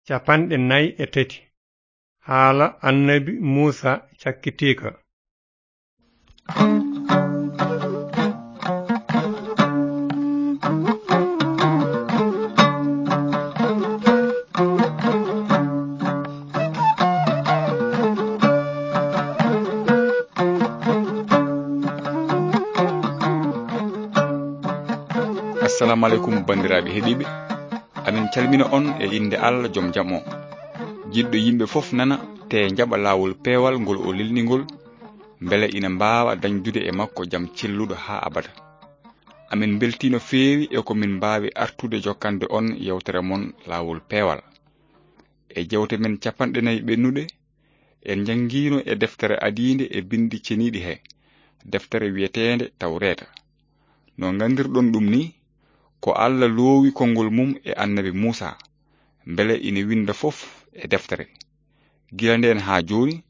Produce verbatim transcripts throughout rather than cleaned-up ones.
capanɗe nayi e tati. Haala annabi Muusa cakkitiika. Assalamu aleykum, banndiraaɓe heɗiiɓe. Amin calmina on e innde Allah, jom jam o. Jiɗɗo yimɓe fof nana, te jaɓa laawol peewal ngol o lelni ngol, mbele ina mbaawa dañdude e makko jam celluɗo haa abada. Amin mbeltii no feewi e ko min mbaawi artude jokkande on yewtere mon laawol peewal. E jewte men capanɗe nayi ɓennuɗe, en njanngiino e deftere adiinde e binndi ceniiɗi he, deftere wiyeteende Tawreeta. No nganndirɗon ɗum ni, ko Allah loowi konngol mum e annabi Muusa, mbele ina winnda fof e deftere. Gila ndeen haa jooni,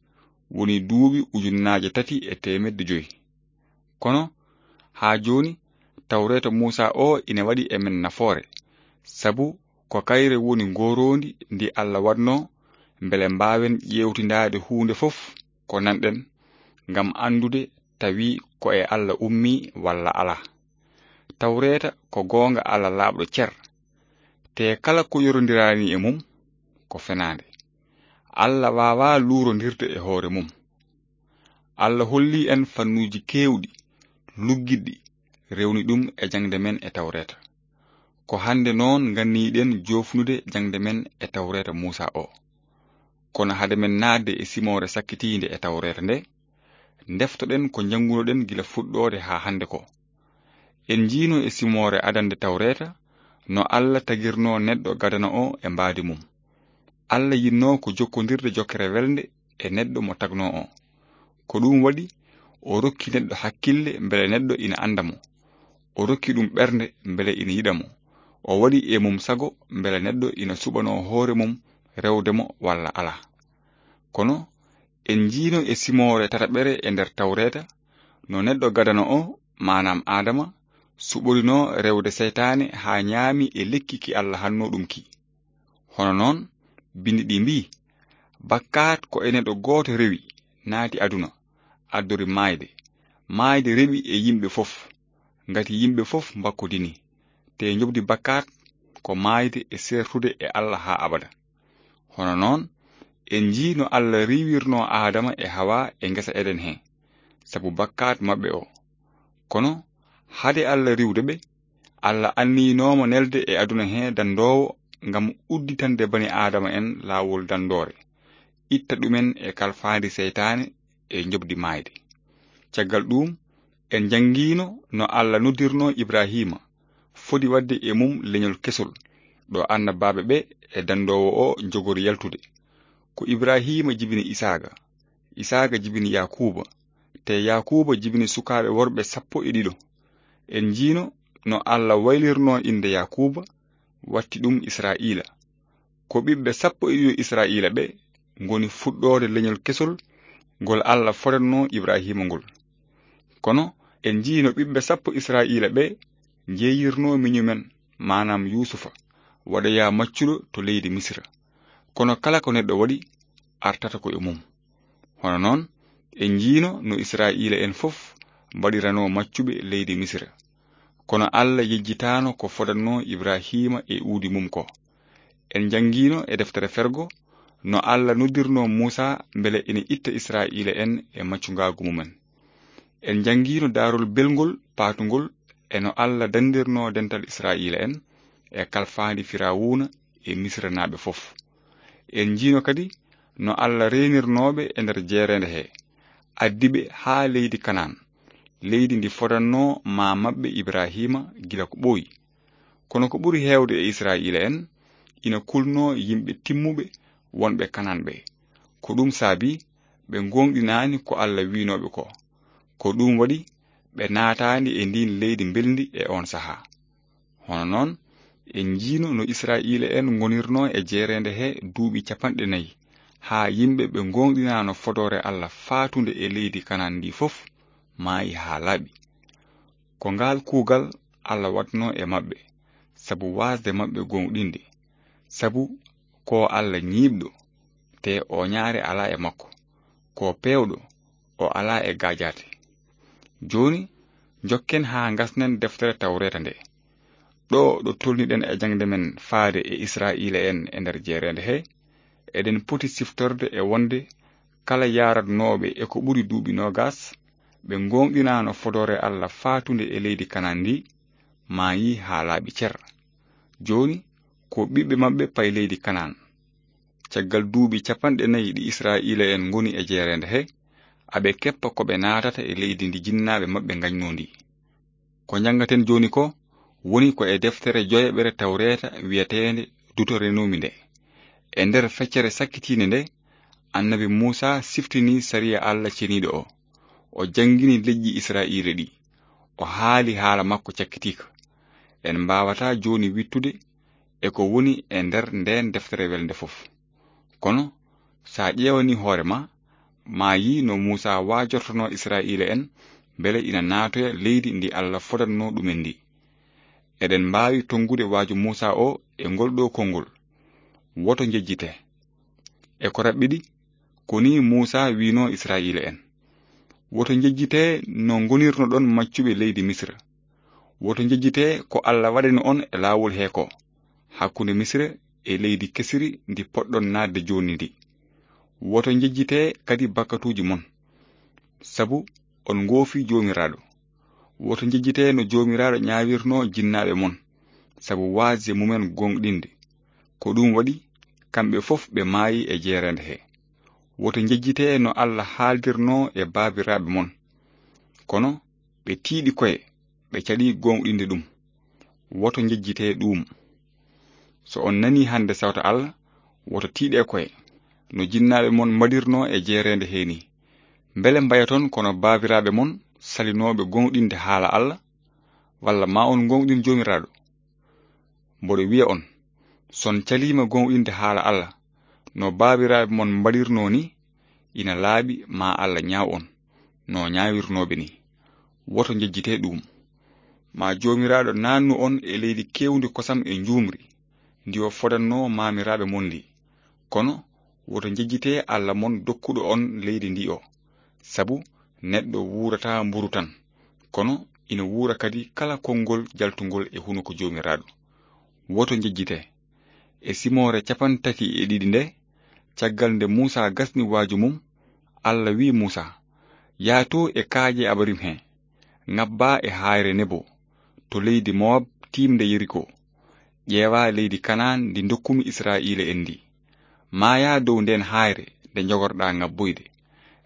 woni duuɓi ujunnaaje tati e teemedde joy. Kono, haa jooni, Tawreeta Muusa o ina waɗi e men nafoore, sabu ko kayre woni ngooroondi ndi Allah waɗnoo, mbele mbaawen ƴeewtindaade huunde fof ko nanɗen, ngam anndude tawi ko e Allah ummii walla alaa. Tawreeta ko goonga Allah laaɓɗo cer, te kala ko yorondiraani e mum ko fenaande. Allah waawaa luurondirde e hoore mum. Allah hollii en fannuuji keewɗi, luggiɗɗi, rewni ɗum e jaŋde men e Tawreeta. Ko hannde noon nganniiɗen joofnude jaŋde men e Tawreeta Muusa o. Kono hade men naatde e simoore sakkitiinde e Tawreeta nde, ndeftoɗen ko njanngunoɗen gila fuɗɗoode haa hannde ko. En njiino e simoore adannde Tawreeta no Allah tagirnoo neɗɗo gadano o e mbaadi mum. Allah yinnoo ko jokkondirde jokkere welnde e neɗɗo mo tagnoo o. Ko ɗum waɗi o rokki neɗɗo hakkille mbele neɗɗo ina annda mo. O rokki ɗum ɓernde mbele ina yiɗa mo. O waɗi e mum sago mbele neɗɗo ina suɓanoo hoore mum rewde mo walla alaa. Kono en njiino e simoore tataɓere e nder Tawreeta no neɗɗo gadano o, maanaam Aadama, suɓorinoo rewde seytaane haa ñaami e lekki ki Allah hannoo ɗum ki. Hono noon, binndi ɗi mbii, bakkaat ko e neɗɗo gooto rewi, naati aduna, addori maayde. Maayde rewi e yimɓe fof, ngati yimɓe fof mbakkodini. Te njoɓdi bakkaat ko maayde e seertude e Allah haa abada. Hono noon, en njii no Allah riiwirnoo Aadama e Hawa e ngesa Eden he, sabu bakkaat maɓɓe o. Kono, hade Allah riiwde ɓe, Allah anniyinooma nelde e aduna he danndoowo ngam udditande bani Aadama en laawol danndoore, itta ɗumen e kalfaandi seytaane e njoɓdi maayde. Caggal ɗuum, en njanngiino no Allah noddirnoo Ibrahiima, fodi waɗde e mum leñol kesol, ɗo annabaaɓe ɓe e danndoowo o njogori yaltude. Ko Ibrahiima jibini Isaaqa, Isaaqa jibini Yaakuuba, te Yaakuuba jibini sukaaɓe worɓe sappo e ɗiɗo. En njiino no Allah waylirnoo innde Yaakuuba, watti ɗum Israa'iila. Ko ɓiɓɓe sappo e ɗiɗo Israa'iila ɓe ngoni fuɗɗoode leñol kesol ngol Allah fodatnoo Ibrahiima ngol. Kono en njii no ɓiɓɓe sappo Israa'iila ɓe njeeyirnoo miñum en, maanaam Yuusufa, waɗoyaa maccuɗo to leydi Misira. Kono kala ko neɗɗo waɗi, artata ko e mum. Hono noon, en njiino no Israa'iila en fof mbaɗiranoo maccuɓe leydi Misira. Kono Allah yejjitaano ko fodatnoo Ibrahiima e uudi mum ko. En njanngiino e deftere Fergo no Allah noddirnoo Muusa mbele ina itta Israa'iila en e maccungaagu mumen. En njanngiino daarol belngol paatungol e no Allah danndirnoo dental Israa'iila en e kalfaandi Firawuuna e Misiranaaɓe fof. En njiino kadi no Allah reenirnooɓe e nder jeereende he, addi ɓe haa leydi Kanaan, leydi ndi fodannoo maa maɓɓe Ibrahiima gila ko ɓooyi. Kono ko ɓuri heewde e Israa'iila en, ina kulnoo yimɓe timmuɓe wonɓe Kanaan ɓe. Ko ɗum saabi ɓe ngooŋɗinaani ko Allah wiinooɓe ko. Ko ɗum waɗi ɓe naataani e ndiin leydi mbelndi e oon sahaa. Hono noon, en njiino no Israa'iila en ngonirnoo e jeereende he duuɓi capanɗe nayi, haa yimɓe ɓe ngooŋɗinaano fodoore Allah faatunde e leydi Kanaan ndi fof, maayi haa laaɓi. Ko ngaal kuugal Allah waɗnoo e maɓɓe, sabu waasde maɓɓe gooŋɗinde, sabu ko Alla ñiiɓɗo, te ooñaare alaa e makko, ko peewɗo, o alaa e gaajaate. Jooni, njokken haa ngasnen deftere Tawreeta nde. Ɗo ɗo tolniɗen e jaŋde men faade e Israa'iila'en e nder jeereende he, eɗen poti siftorde e wonde kala yaaratnooɓe e ko ɓuri duuɓi noogas, ɓe ngooŋɗinaano fodoore Alla faatunde e leydi Kanaan ndi, maayii haa laaɓi cer. Jooni, ko ɓiɓɓe maɓɓe payi leydi Kanaan. Caggal duuɓi capanɗe nayi ɗi Israa'iila'en ngoni e jeereende he, aɓe keppa ko ɓe naatata e leydi ndi jinnaaɓe maɓɓe ngañnoo ndi. Ko njanngaten jooni ko woni ko e deftere joyaɓere Tawreeta wi'eteende Dutoronoomi nde. E nder feccere sakkitiinde nde, annabi Muusaa siftinii sariya Alla ceniiɗo o. O janngini leƴƴi Israa'iila ɗi. O haali haala makko cakkitiika. En mbaawataa jooni wiɗtude e ko woni e nder ndeen deftere welnde fof. Kono, so a ƴeewanii hoore ma, maa yii no Muusaa waajortonoo Israa'iila'en mbele ina naatoya leydi ndi Alla fodatnoo ɗumen ndi. Eɗen mbaawi tonngude waaju Muusaa o e ngol ɗo konngol: "Woto njejjitee." E ko raɓɓiɗi, ko nii Muusaa wi'noo Israa'iila'en: "Woto njejjitee no ngonirnoɗon maccuɓe leydi Misira. Woto njejjitee ko Alla waɗani on e laawol he ko, hakkunde Misira e leydi kesiri ndi poɗɗon naatde jooni ndi. Woto njejjitee kadi bakkatuuji mon, sabu on ngoofii Joomiraaɗo. Woto njejjitee no Joomiraaɗo ñaawirnoo jinnaaɓe mon, sabu waasde mumen gooŋɗinde. Ko ɗum waɗi kamɓe fof ɓe maayi e jeereende he. Woto njejjitee no Alla haaldirnoo e baabiraaɓe mon. Kono ɓe tiiɗi koye, ɓe caɗi gooŋɗinde ɗum. Woto njejjitee ɗuum. So on nanii hannde sawta Alla, woto tiiɗee koye, no jinnaaɓe mon mbaɗirnoo e jeereende he nii. Mbele mbayaton kono baabiraaɓe mon salinooɓe gooŋɗinde haala Alla? Walla ma on gooŋɗin Joomiraaɗo?" Mboɗo wi'a on, so on caliima gooŋɗinde haala Alla, no baabiraaɓe mon mbaɗirnoo ni, ina laaɓi ma Alla ñaaw on, no ñaawirnooɓe ni. Woto njejjitee ɗuum. Ma Joomiraaɗo naannu on e leydi keewndi kosam e njuumri, ndi o fodatnoo maamiraaɓe mon ndi. Kono woto njejjitee Alla mon dokkuɗo on leydi ndi o, sabu neɗɗo wuurataa mburu tan, kono ina wuura kadi kala konngol jaltungol e hunuko Joomiraaɗo. Woto njejjitee. E simoore capantati e ɗiɗi nde, caggal nde Muusaa gasni waaju mum, Alla wi'i Muusaa: "Yah to e kaaƴe Abarim he, ŋabbaa e haayre Nebo, to leydi Mowab tiimde Yeriko. Ƴeewaa leydi Kanaan ndi ndokkumi Israa'iila'en ndi. Maayaa dow ndeen haayre nde njogorɗaa ŋabboyde.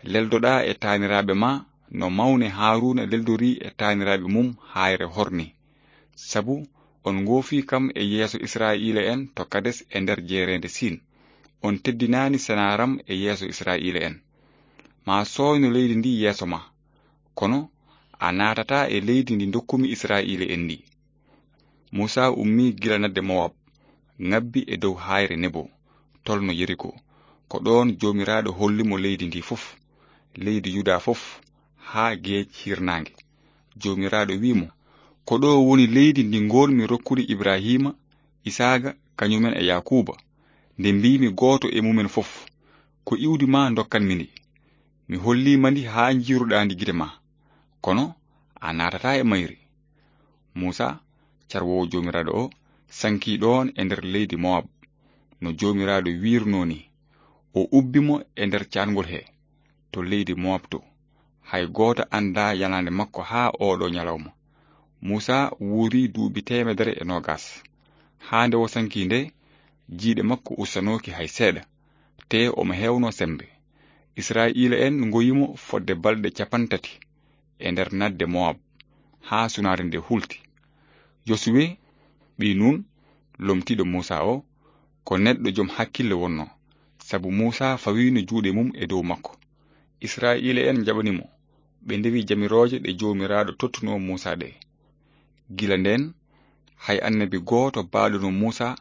Leldoɗaa e taaniraaɓe ma no mawne Haaruuna leldorii e taaniraaɓe mum haayre Hor ni. Sabu on ngoofii kam e yeeso Israa'iila'en to Kades e nder jeereende Siin. On teddinaani senaaram e yeeso Israa'iila'en. Maa sooyno leydi ndi yeeso ma, kono a naatataa e leydi ndi ndokkumi Israa'iila'en ndi." Muusaa ummii gila naatde Mowab, ŋabbi e dow haayre Nebo, tolno Yeriko. Ko ɗoon Joomiraaɗo holli mo leydi ndi fof, leydi Yuda fof, haa geec hirnaange. Joomiraaɗo wi'i mo: "Ko ɗo woni leydi ndi ngoolmi rokkude Ibrahiima, Isaaqa, kañumen e Yaakuuba, nde mbiimi gooto e mumen fof: 'Ko iwdi ma ndokkanmi ndi.' Mi holliima ndi haa njiiruɗaa ndi gite ma. Kono a naatataa e mayri." Muusaa, carwoowo Joomiraaɗo o, sankii ɗoon e nder leydi Mowab, no Joomiraaɗo wiirnoo ni. O ubbi mo e nder caatngol he, to leydi Mowab to. Hay gooto anndaa yanaande makko haa ooɗo ñalawma. Muusaa wuuri duuɓi teemedere e noogas. Haa nde o sankii nde, jiyɗe makko ustanooki hay seeɗa, te omo heewnoo semmbe. Israa'iila'en ngoyi mo fodde balɗe capantati e nder naatde Mowab, haa sunaare nde hulti. Yosuwe, ɓii Nun, lomtiiɗo Muusaa o, ko neɗɗo jom hakkille wonnoo, sabu Muusaa fawiino juuɗe mum e dow makko. Israa'iila'en njaɓani mo, ɓe ndewi jamirooje ɗe Joomiraaɗo tottunoo Muusaa ɗe. Gila ndeen, hay annabi gooto baaɗuno Muusaa,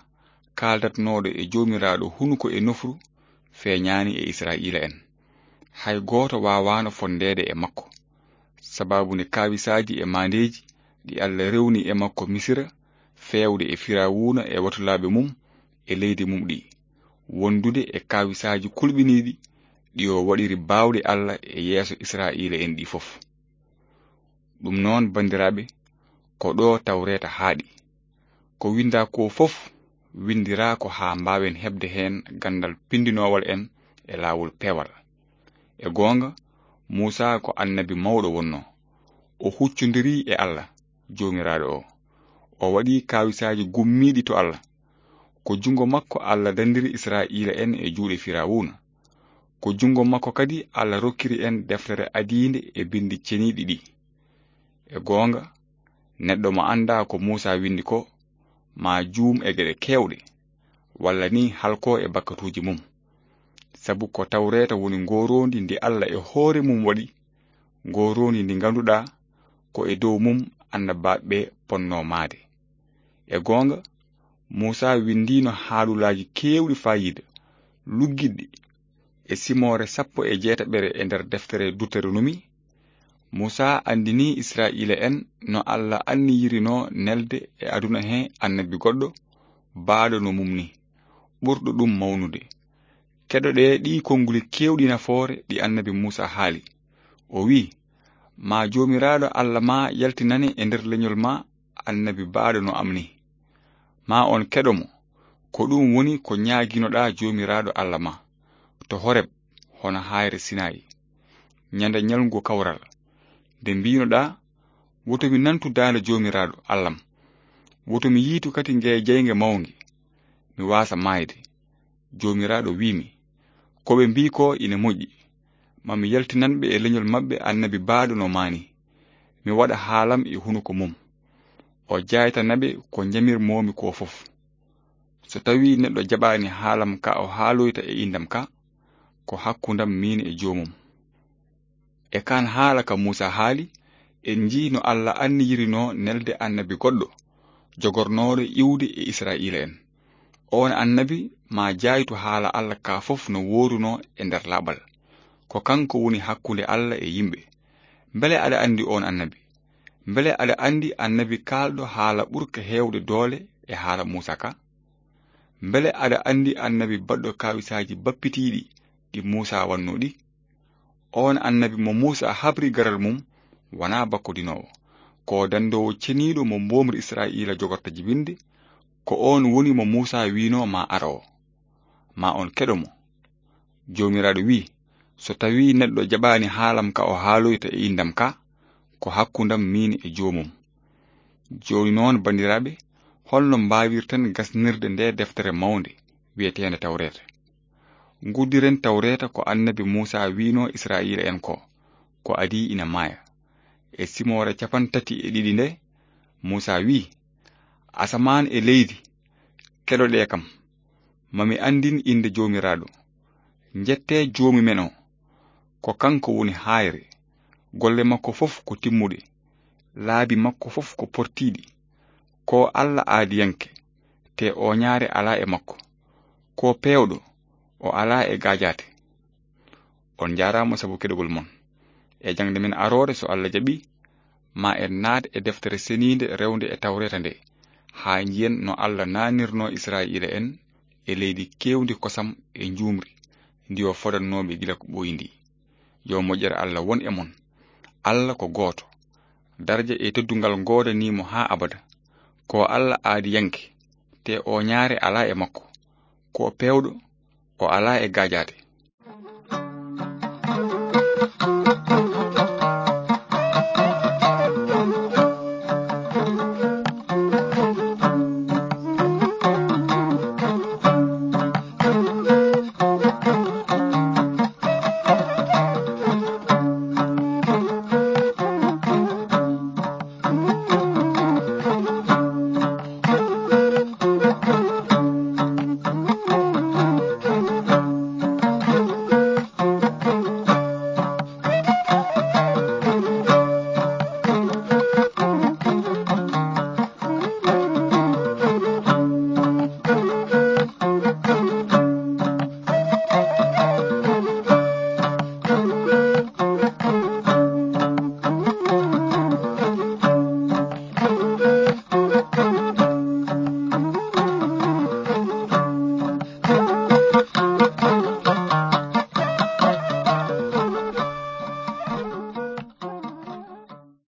kaaldatnooɗo e Joomiraaɗo hunuko e nofru, feeñaani e Israa'iila'en. Hay gooto waawaano fonndeede e makko, sabaabu nde kaawisaaji e maandeeji ɗi Alla rewni e makko Misira, feewde e Firawuna e watulaaɓe mum e leydi mum ɗi. wondude e kaawisaaji kulɓiniiɗi ɗi o waɗiri baawɗe Alla e yeeso Israa'iila'en ɗi fof. Ɗum noon, banndiraaɓe, ko ɗo Tawreeta haaɗi. Ko winndaa ko fof, winndiraa ko haa mbaawen heɓde heen ganndal pinndinoowal en e laawol peewal. E goonga, Muusaa ko annabi mawɗo wonnoo. O huccondiri e Alla, Joomiraaɗo o. O waɗi kaawisaaji gummiiɗi to Alla. Ko junngo makko Alla dandiri Israa'iila'en e juuɗe Firawuna. Ko junngo makko kadi Alla rokkiri en deftere adiinde e binndi ceniiɗi ɗi. E goonga, neɗɗo mo anndaa ko Muusaa winndi ko, maa juum e geɗe keewɗe, walla ni halkoo e bakkatuuji mum. Sabu ko Tawreeta woni ngooroondi ndi Alla e hoore mum waɗi, ngooroondi ndi ngannduɗaa ko e dow mum annabaaɓe ɓe ponnoo maayde. E goonga, Muusaa winndiino haalulaaji keewɗi faayiida, luggiɗɗi, e simoore sappo e jeetaɓere e nder deftere Duteronomi. Muusaa anndini Israa'iila'en no Alla anniyirinoo nelde e aduna he annabi goɗɗo, baaɗo no mum ni, ɓurɗo ɗum mawnude. Keɗoɗee ɗii konnguli keewɗi nafoore ɗi annabi Muusaa haali. O wi'i, maa Joomiraaɗo Alla maa yaltinane e nder leñol maa annabi baaɗo no am ni. Maa on keɗo mo, ko ɗum woni ko ñaaginoɗaa Joomiraaɗo Alla maa, to Horeb, hono haayre Sinaayi, ñande ñalngu kawral, nde mbiinoɗaa, woto mi nantu daande Joomiraaɗo Allam, woto mi yiitu kadi ngee jeynge mawnge, mi waasa maayde. Joomiraaɗo wi'mi, ko ɓe mbii ko ina moƴƴi, ma mi yaltinan ɓe e leñol maɓɓe annabi baaɗo no maa ni, mi waɗa haalam e hunuko mum. O jaaytana ɓe ko njamirmoomi ko fof. So tawii neɗɗo jaɓaani haalam ka o haaloyta e inndam ka, ko hakkundam miin e joomum. E kaan haala ka Muusaa haali, en njii no Alla anniyirinoo nelde annabi goɗɗo, jogornooɗo iwde e Israa'iila'en. Oon annabi maa jaaytu haala Alla ka fof no woorunoo e nder laaɓal. Ko kanko woni hakkunde Alla e yimɓe. Mbele aɗa anndi oon annabi? Mbele aɗa anndi annabi kaalɗo haala ɓurka heewde doole e haala Muusaa ka? Mbele aɗa anndi annabi baɗɗo kaawisaaji bappitiiɗi ɗi Muusaa wannoo ɗi? Oon annabi mo Muusaa habri garal mum wanaa bakkodinoowo. Ko danndoowo ceniiɗo mo mboomri Israa'iila jogorta jibinde, ko oon woni mo Muusaa wiinoo maa ara o. Maa on keɗo mo. Joomiraaɗo wi'i, so tawii neɗɗo jaɓaani haalam ka o haaloyta e inndam ka, ko hakkundam miin e joomum. Jooni noon, banndiraaɓe, holno mbaawirten gasnirde nde deftere mawnde wi'eteende Tawreeta? Nguddiren Tawreeta ko annabi Muusaa wi'noo Israa'iila'en ko, ko adii ina maaya. E simoore cappanɗe tati e ɗiɗi nde, Muusaa wi'i, asamaan e leydi, keɗoɗee kam, ma mi anndin innde Joomiraaɗo. Njettee Joomi men o, ko kanko woni haayre, golle makko fof ko timmuɗe, laabi makko fof ko portiiɗi. Ko Alla aadiyanke, te ooñaare alaa e makko. Ko peewɗo, o alaa e gaajaate. On njaaraama sabu keɗogol mon. E jaŋde men aroore, so Alla jaɓi, ma en naat e deftere seniinde rewnde e Tawreeta nde, haa njiyen no Alla naanirnoo Israa'iila'en e leydi keewndi kosam e njuumri, ndi o fodannoo ɓe gila ko ɓooyi ndi. Yo moƴƴere Alla won e mon. Alla ko gooto. Daraja e teddungal ngoodanii mo haa abada. Ko Alla aadiyanke, te ooñaare alaa e makko. Ko peewɗo, o alaa e gaajaate.